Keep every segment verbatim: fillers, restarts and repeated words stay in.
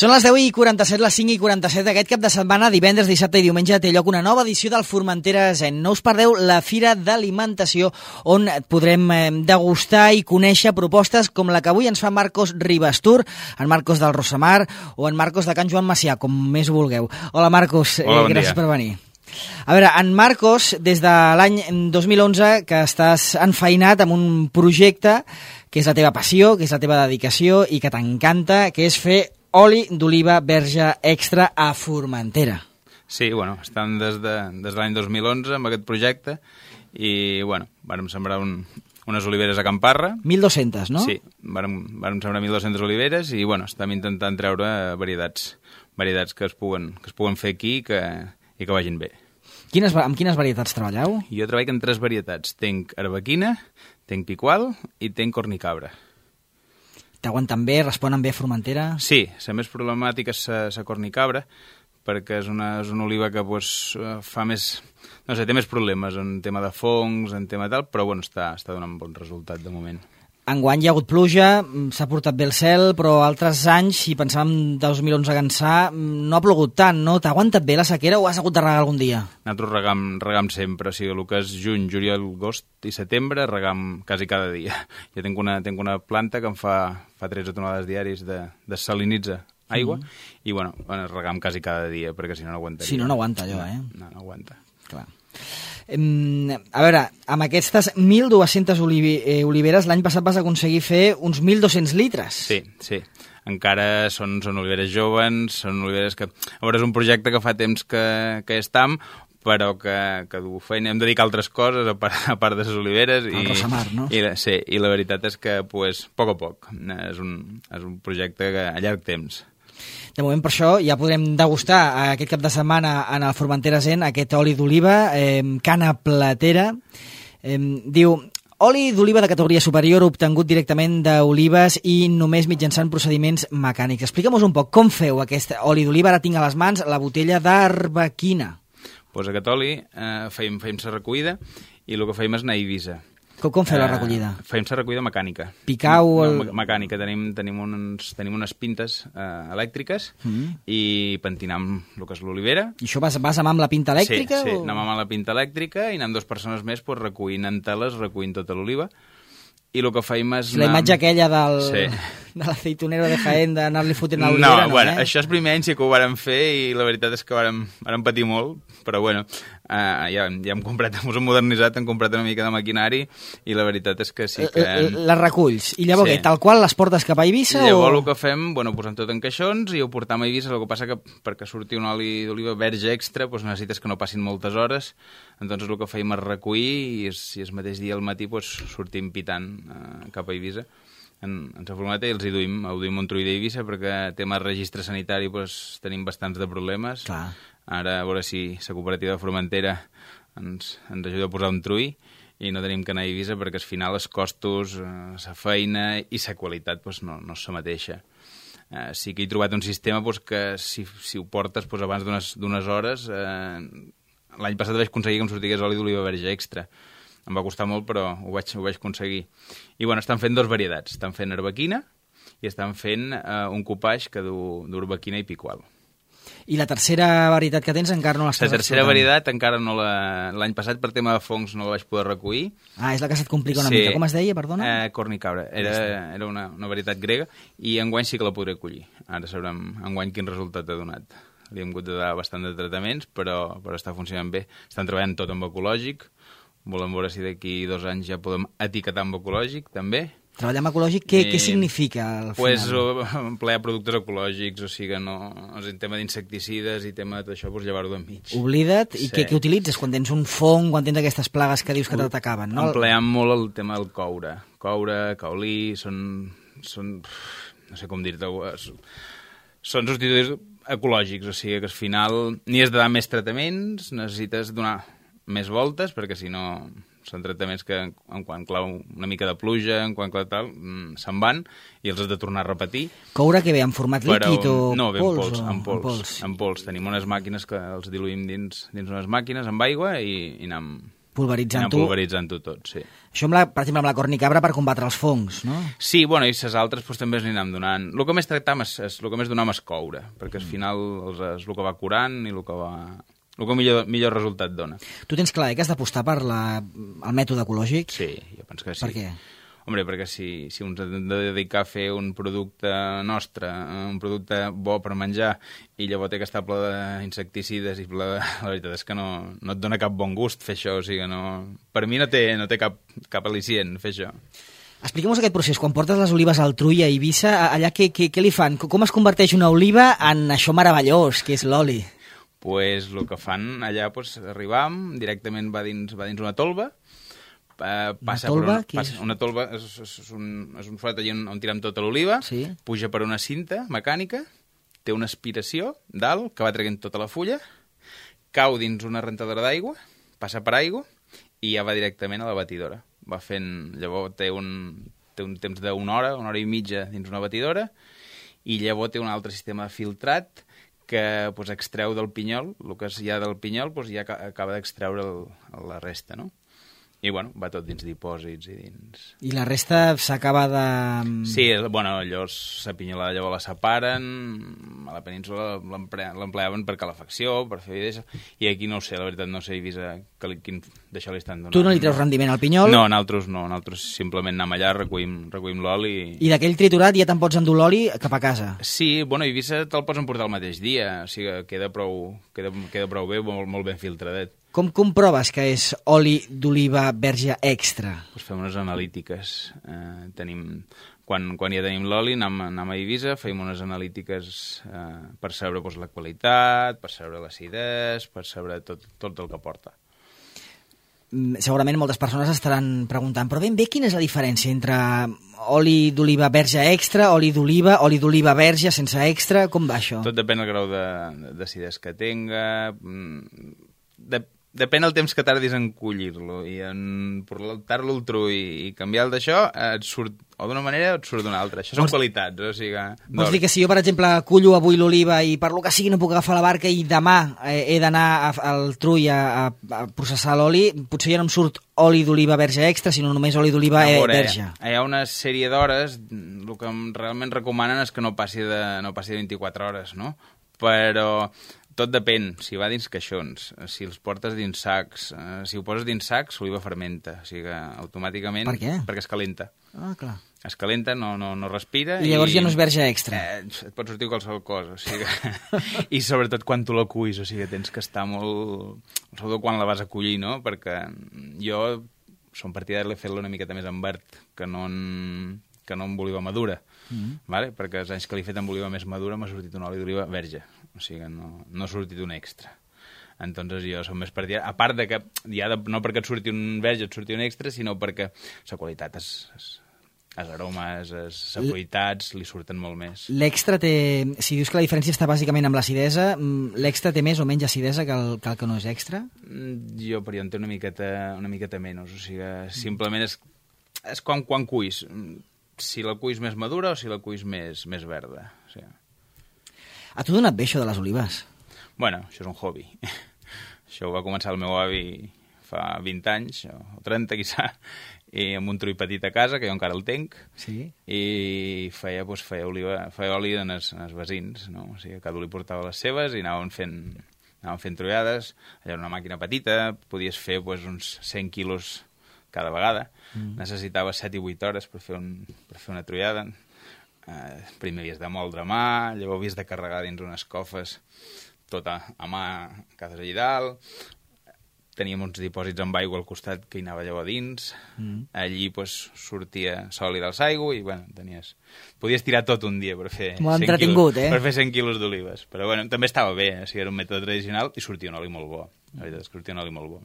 Són les deu i quaranta-set, les cinc i quaranta-set. Aquest cap de setmana, divendres, dissabte i diumenge, té lloc una nova edició del Formentera Zen. No us perdeu la Fira d'Alimentació, on podrem degustar i conèixer propostes com la que avui ens fa Marcos Ribastur, en Marcos del Rosamar o en Marcos de Can Joan Macià, com més vulgueu. Hola, Marcos. Hola, bon gràcies dia. per venir. A veure, en Marcos, des de l'any dos mil onze, que estàs enfeinat amb un projecte que és la teva passió, que és la teva dedicació i que t'encanta, que és fer oli d'oliva verge extra a Formentera. Sí, bueno, estem des de, des de l'any dos mil onze amb aquest projecte i, bueno, vàrem sembrar un, unes oliveres a Camparra. mil dos-centes, no? Sí, vàrem, vàrem sembrar mil dos-centes oliveres i, bueno, estem intentant treure varietats, varietats que es puguen, que es puguen fer aquí i que, i que vagin bé. Quines, amb quines varietats treballeu? Jo treballo en tres varietats. Tenc arbequina, tenc picual i tenc cornicabra. T'aguanten bé, responen bé a Formentera? Sí, la més problemàtica és la cornicabra, perquè és una, és una oliva que pues, fa més... No sé, té més problemes en tema de fongs, en tema tal, però bueno, està, està donant bon resultat de moment. Enguany hi ha hagut pluja, s'ha portat bé el cel, però altres anys, si pensàvem dos mil onze a ençà, no ha plogut tant, no? T'ha aguantat bé la sequera o has hagut de regar algun dia? Nosaltres regam, regam sempre, o sigui, el que és juny, juliol, agost i setembre, regam quasi cada dia. Jo tinc una, tinc una planta que em fa, fa tretze tonelades diaris de, de salinitza aigua, mm. i bueno, regam quasi cada dia, perquè si no no aguantaria. Si no, no aguanta allò, eh? No, no aguanta. Clar. A veure, amb aquestes mil dues-centes olivi eh, oliveres, l'any passat vas aconseguir fer uns mil dos-cents litres. Sí, sí. Encara són, són oliveres joves, són oliveres que... A veure, és un projecte que fa temps que, que estam, però que, que du feina, hem de dedicar altres coses a part, a part de les oliveres. El Rosamar, no? I, sí, i la veritat és que, pues, a poc a poc. És un, és un projecte que, a llarg temps. De moment, per això, ja podrem degustar aquest cap de setmana en el Formentera Zen aquest oli d'oliva, eh, cana platera. Eh, diu, oli d'oliva de categoria superior obtingut directament d'olives i només mitjançant procediments mecànics. Explica'm-nos un poc com feu aquest oli d'oliva. Ara tinc a les mans la botella d'arbequina. Pues aquest oli eh, feim, feim la recollida i el que feim és anar a Eivissa. Com, com feu la recollida? Uh, feim la recollida mecànica. Picau... El... No, mecànica. Tenim, tenim, uns, tenim unes pintes uh, elèctriques mm. i pentinam el que és l'olivera. I això vas, vas amb la pinta elèctrica? Sí, sí. O... anem amb la pinta elèctrica i anem dues persones més pues, recollint en teles, recollint tota l'oliva. I el que feim és... La imatge aquella del... Sí. de l'aceitunero de Jaén d'anar-li fotent a l'olivera, no, no, bueno, eh? Això és primer any sí que ho vàrem fer i la veritat és que vàrem, vàrem patir molt, però bueno, uh, ja, ja hem comprat, ens hem modernitzat, hem comprat una mica de maquinari i la veritat és que sí que... Les reculls. I llavors, sí. Què, tal qual les portes cap a Eivissa? I llavors o... el que fem, bueno, posem tot en caixons i ho portam a Eivissa, el que passa que perquè surti un oli d'oliva verge extra doncs necessites que no passin moltes hores, doncs el que feim és recollir i el, i el mateix dia al matí doncs, sortim pitant uh, cap a Eivissa en, en la furgoneta i els hi duim, ho duim un trull d'Eivissa perquè tema registre sanitari doncs, tenim bastants de problemes. Clar. Ara a veure si la cooperativa de Formentera ens, ens ajuda a posar un trull i no tenim que anar a Eivissa perquè al final els costos, la feina i la qualitat doncs, no, no és la mateixa. Uh, sí que he trobat un sistema doncs, que si, si ho portes doncs, abans d'unes hores, uh, l'any passat vaig aconseguir que em sortigués oli d'oliva verge extra. Em va costar molt, però ho vaig, ho vaig aconseguir. I bueno, estan fent dos varietats. Estan fent arbequina i estan fent uh, un copaix que du d'arbequina i picual. I la tercera varietat que tens encara no l'estàs La tercera varietat encara no la... L'any passat per tema de fongs no la vaig poder recollir. Ah, és la que se't complica una sí. mica. Com es deia, perdona? Eh, cornicabra. Era, era una, una varietat grega i enguany sí que la podré collir. Ara sabrem enguany quin resultat ha donat. Li hem hagut de dar bastant de tractaments, però, però està funcionant bé. Estan treballant tot amb ecològic. Volem veure si d'aquí dos anys ja podem etiquetar amb ecològic, també. Treballar amb ecològic, què, I, què significa al final? Pues, emplear productes ecològics, o sigui, no, en tema d'insecticides i tema d'això, pues, llevar-ho d'enmig. Oblida't. Sí. I què, què utilitzes quan tens un fong, quan tens aquestes plagues que dius que t'atacaven, no? Empleam molt el tema del coure. Coure, caolí, són... són no sé com dir-te... Són substituts ecològics, o sigui que al final ni has de dar més tractaments, necessites donar més voltes, perquè si no són tractaments que en quan clau una mica de pluja, en quan clau tal, se'n van i els has de tornar a repetir. Coure que ve en format líquid o no, ve pols? En pols, o... en pols, en pols. En pols. Tenim unes màquines que els diluïm dins, dins unes màquines amb aigua i, i anem, Pulveritzant-ho. Pulveritzant-ho tot, sí. Això, amb la, per exemple, amb la cornicabra per combatre els fongs, no? Sí, bueno, i les altres doncs, també es anirem donant. El que més tractam és, és, el que més donem és coure, perquè al final és, és el que va curant i el que va... el que millor, millor resultat dona. Tu tens clar eh, que has d'apostar per la, el mètode ecològic? Sí, jo penso que sí. Per què? Hombre, perquè si, si ens hem de dedicar a fer un producte nostre, un producte bo per menjar, i llavors té que estar ple d'insecticides i ple de... La veritat és que no, no et dona cap bon gust fer això, o sigui, no... Per mi no té, no té cap, cap al·licient fer això. Expliquem-nos aquest procés. Quan portes les olives al Trull a Eivissa, allà què, què, què li fan? Com es converteix una oliva en això meravellós, que és l'oli? Pues el que fan allà, pues, arribam, directament va dins, va dins una tolva. Uh, passa una tolva? Per una, passa, una tolva és, és, és, un, és un forat allà on, on tirem tota l'oliva, sí. Puja per una cinta mecànica, té una aspiració dalt que va traient tota la fulla, cau dins una rentadora d'aigua, passa per aigua i ja va directament a la batidora. Va fent, llavors té un, té un temps d'una hora, una hora i mitja dins una batidora, i llavors té un altre sistema de filtrat que pues, extreu del pinyol, el que hi ha del pinyol pues, ja acaba d'extreure el, la resta, no? I, bueno, va tot dins dipòsits i dins... I la resta s'acaba de... Sí, bueno, allò la pinyolada llavors la separen, a la península l'empleaven per calefacció, per fer videixa, i aquí no ho sé, la veritat no sé Eivissa quin d'això li estan donant. Tu no li treus rendiment al pinyol? No, nosaltres no, nosaltres simplement anem allà, recollim, recollim l'oli... I, I d'aquell triturat ja te'n pots endur l'oli cap a casa? Sí, bueno, a Eivissa te'l pots emportar el mateix dia, o sigui, queda prou, queda, queda prou bé, molt, molt ben filtradet. Com comproves que és oli d'oliva verge extra? Pues fem unes analítiques. Eh, tenim, quan, quan ja tenim l'oli, anem, anem a Eivissa, fem unes analítiques eh, per saber pues, la qualitat, per saber l'acidès, per saber tot, tot el que porta. Segurament moltes persones estaran preguntant, però ben bé quina és la diferència entre oli d'oliva verge extra, oli d'oliva, oli d'oliva verge sense extra, com va això? Tot depèn del grau d'acidès que tenga, de, depèn del temps que tardis en collir-lo i en portar-lo al trull i canviar el d'això, et surt o d'una manera o et surt d'una altra. Això són vols, qualitats, o sigui... Vols dir que si jo, per exemple, cullo avui l'oliva i per lo que sigui no puc agafar la barca i demà eh, he d'anar al trull a, a, a processar l'oli, potser ja no em surt oli d'oliva verge extra, sinó només oli d'oliva eh, verge. Hi ha una sèrie d'hores, el que realment recomanen és que no passi de, no passi de vint-i-quatre hores, no? Però... Tot depèn, si va dins caixons, si els portes dins sacs, eh, si ho poses dins sacs, l'oliva fermenta, o sigui que automàticament... Per què? Perquè es calenta. Ah, clar. Es calenta, no, no, no respira... I llavors i, ja no és verge extra. Eh, et pot sortir qualsevol cosa, o sigui que... I sobretot quan tu la cuis, o sigui, tens que estar molt... Sobretot quan la vas a collir, no? Perquè jo som partidari de fer-la una miqueta més en verd, que no en, que no amb oliva madura, mm-hmm. vale? Perquè els anys que l'he fet amb oliva més madura m'ha sortit un oli d'oliva verge. O sigui que no, no ha sortit un extra. Entonces jo som més partidari. A part de que, ja de, no perquè et surti un verge, et surti un extra, sinó perquè la qualitat, es, es, els aromes, les sapoitats, li surten molt més. L'extra té... Si dius que la diferència està bàsicament amb l'acidesa, l'extra té més o menys acidesa que el, que el que no és extra? Jo, per jo, en té una miqueta, una miqueta menys. O sigui, simplement és, és com quan cuis. Si la cuis més madura o si la cuis més, més verda. O sigui... A tu donat bé això de les olives? Bueno, això és un hobby. Això ho va començar el meu avi fa vint anys, o trenta, quizà, i amb un trull petit a casa, que jo encara el tenc, sí? I feia, doncs, feia, oliva, feia oli en els, en els vecins, no? O sigui, cada un li portava les seves i anaven fent, anaven fent trullades. Allà era una màquina petita, podies fer doncs, uns cent quilos cada vegada. Mm. Necessitava set i vuit hores per fer, un, per fer una trullada. Uh, primer havies de moldre a mà, llavors havies de carregar dins unes cofes tot a, a mà, cases allà dalt. Teníem uns dipòsits amb aigua al costat que hi anava llavors dins. Mm. Allí pues, sortia sòlida als aigua i bueno, tenies... Podies tirar tot un dia per fer, cent quilos, eh? per fer cent quilos d'olives. Però bueno, també estava bé, o sigui, era un mètode tradicional i sortia un oli molt bo. La veritat és que sortia un oli molt bo.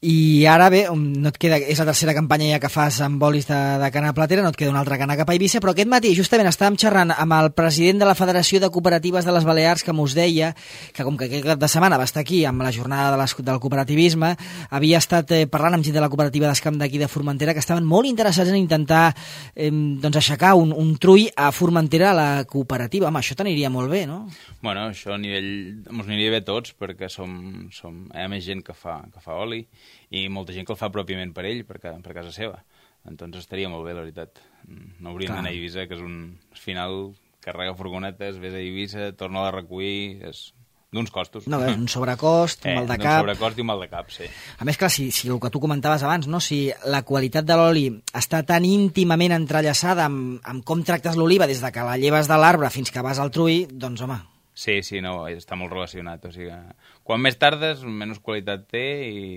I ara bé, no et queda, és la tercera campanya ja que fas amb olis de, de cana platera, no et queda una altra cana cap a Eivissa, però aquest matí justament estàvem xerrant amb el president de la Federació de Cooperatives de les Balears, que mos deia que com que aquest cap de setmana va estar aquí amb la jornada de les, del cooperativisme, havia estat eh, parlant amb gent de la cooperativa d'Escamp d'aquí de Formentera, que estaven molt interessats en intentar eh, doncs aixecar un, un trull a Formentera a la cooperativa. Home, això t'aniria molt bé, no? Bueno, això a nivell... Ens aniria bé tots, perquè som, som... hi ha més gent que fa, que fa oli, i molta gent que el fa pròpiament per ell, per, per casa seva. Entonces estaria molt bé, la veritat. No hauríem d'anar a Eivissa, que és un... Al final, carrega furgonetes, vés a Eivissa, torna a recollir... És d'uns costos. No, és un sobrecost, un eh, mal de cap... Un sobrecost i un mal de cap, sí. A més, clar, si, si el que tu comentaves abans, no? Si la qualitat de l'oli està tan íntimament entrellaçada amb, amb com tractes l'oliva des de que la lleves de l'arbre fins que vas al trull, doncs, home... Sí, sí, no, està molt relacionat. O sigui, quan més tardes, menys qualitat té i,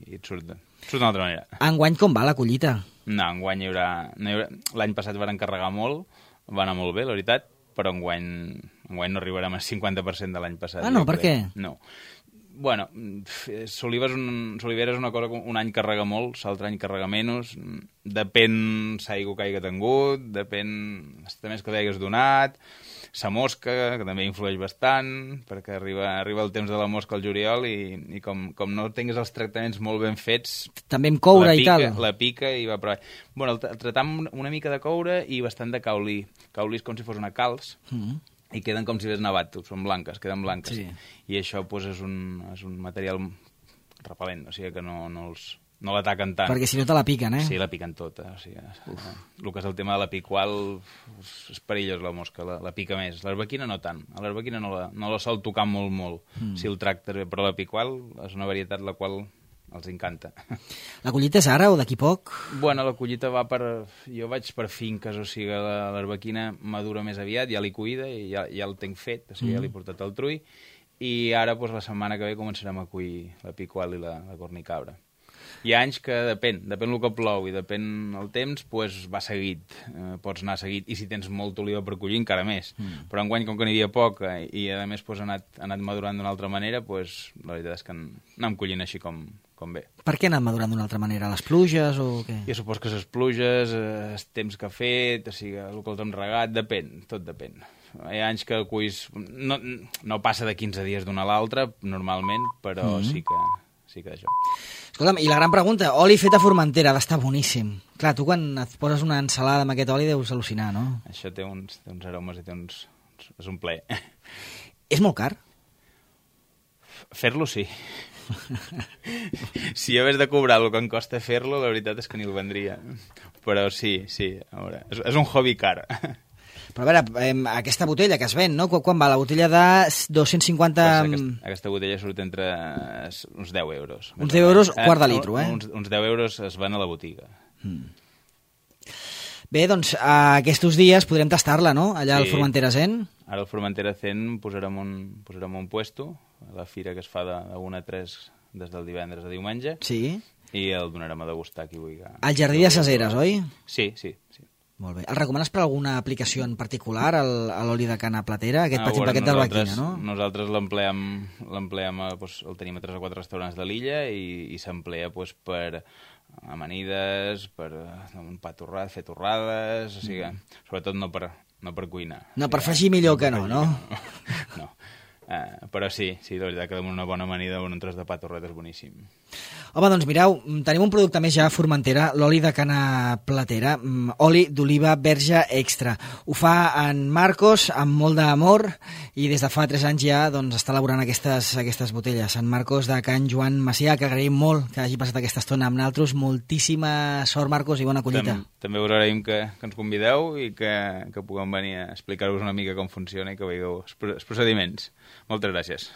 i et surt, surt d'una altra manera. Enguany com va la collita? No, enguany hi haurà... No hi haurà... L'any passat van encarregar molt, va anar molt bé, la veritat, però enguany, enguany no arribarem al cinquanta per cent de l'any passat. Ah, no, per què? No. Bueno, Soliva és, un, Solivera és una cosa que un any carrega molt, l'altre any carrega menys, depèn l'aigua que hagi tingut, depèn també que li hagués donat, la mosca, que també influeix bastant, perquè arriba, arriba el temps de la mosca al juliol i, i com, com no tinguis els tractaments molt ben fets... També amb coure pica, i tal. La pica i va per avall. Bueno, el tratar amb una mica de coure i bastant de caolí. Caolí és com si fos una calç, mm-hmm. i queden com si hagués nevat, són blanques, queden blanques. Sí. I això pues, és, un, és un material repel·lent, o sigui que no, no els... no l'ataquen tant. Perquè si no te la piquen, eh? Sí, la piquen tota. O sigui, el que és el tema de la picual és perillós, la mosca, la, la pica més. L'arbequina no tant. A l'arbequina no la, no la sol tocar molt, molt, mm. si el tractes bé, però la picual és una varietat la qual els encanta. La collita és ara o d'aquí poc? Bueno, la collita va per... Jo vaig per finques, o sigui, l'arbequina madura més aviat, ja l'he cuida i ja, ja el tinc fet, o sigui, mm. ja l'he portat al trull, i ara, doncs, la setmana que ve començarem a cuir la picual i la, la cornicabra. Hi ha anys que depèn, depèn el que plou i depèn el temps, pues va seguit, eh, pots anar seguit, i si tens molta oliva per collir encara més. Mm. Però enguany, com que n'hi havia poc i a més pues, ha, anat, ha anat madurant d'una altra manera, pues, la veritat és que anem collint així com, com bé. Per què ha anat madurant d'una altra manera? Les pluges o què? Jo supos que les pluges, el temps que ha fet, o sigui, el que els hem regat, depèn, tot depèn. Hi ha anys que el cuis no, no passa de quinze dies d'una a l'altra, normalment, però mm. sí que... sí que d'això. Escolta'm, i la gran pregunta, oli fet a Formentera, ha d'estar boníssim. Clar, tu quan et poses una ensalada amb aquest oli deus al·lucinar, no? Això té uns, té uns aromes i té uns... és un plaer. És molt car? Fer-lo, sí. Si hagués de cobrar el que em costa fer-lo, la veritat és que ni el vendria. Però sí, sí, a veure, és, és un hobby car. Però a veure, eh, aquesta botella que es ven, no? Quan va? La botella de dos-cents cinquanta... Pues aquesta, aquesta botella surt entre uns deu euros. Uns deu euros, eh, quart de litro, eh? Uns, uns deu euros es van a la botiga. Mm. Bé, doncs, aquests dies podrem tastar-la, no? Allà sí. al Formentera Zen. Ara al Formentera Zen posarem un, posarem un puesto, a la fira que es fa de, de una a tres des del divendres a diumenge. Sí. I el donarem a degustar qui vulgui. Al Jardí de Ses Eres, oi? Sí, sí, sí. Molt bé. El recomanes per alguna aplicació en particular, a l'oli de cana platera, aquest ah, petit bueno, paquet d'arbequina, no? Nosaltres l'empleem, l'empleem doncs, el tenim a tres o quatre restaurants de l'illa i, i s'emplea doncs, per amanides, per un pa torrat, fer torrades, o sigui, sobretot no per, no per cuinar. No, per fregir millor que no, no? No. Uh, però sí, sí, la veritat que amb una bona amanida o un tros de pa torrat és boníssim. Home, doncs mireu, tenim un producte més ja a Formentera, l'oli de cana platera, oli d'oliva verge extra. Ho fa en Marcos amb molt d'amor i des de fa tres anys ja doncs, està elaborant aquestes, aquestes botelles. En Marcos de Can Joan Macià, que agraïm molt que hagi passat aquesta estona amb nosaltres. Moltíssima sort, Marcos, i bona collita. També, també us agraïm que, que ens convideu i que, que puguem venir a explicar-vos una mica com funciona i que veieu els procediments. Moltes gràcies.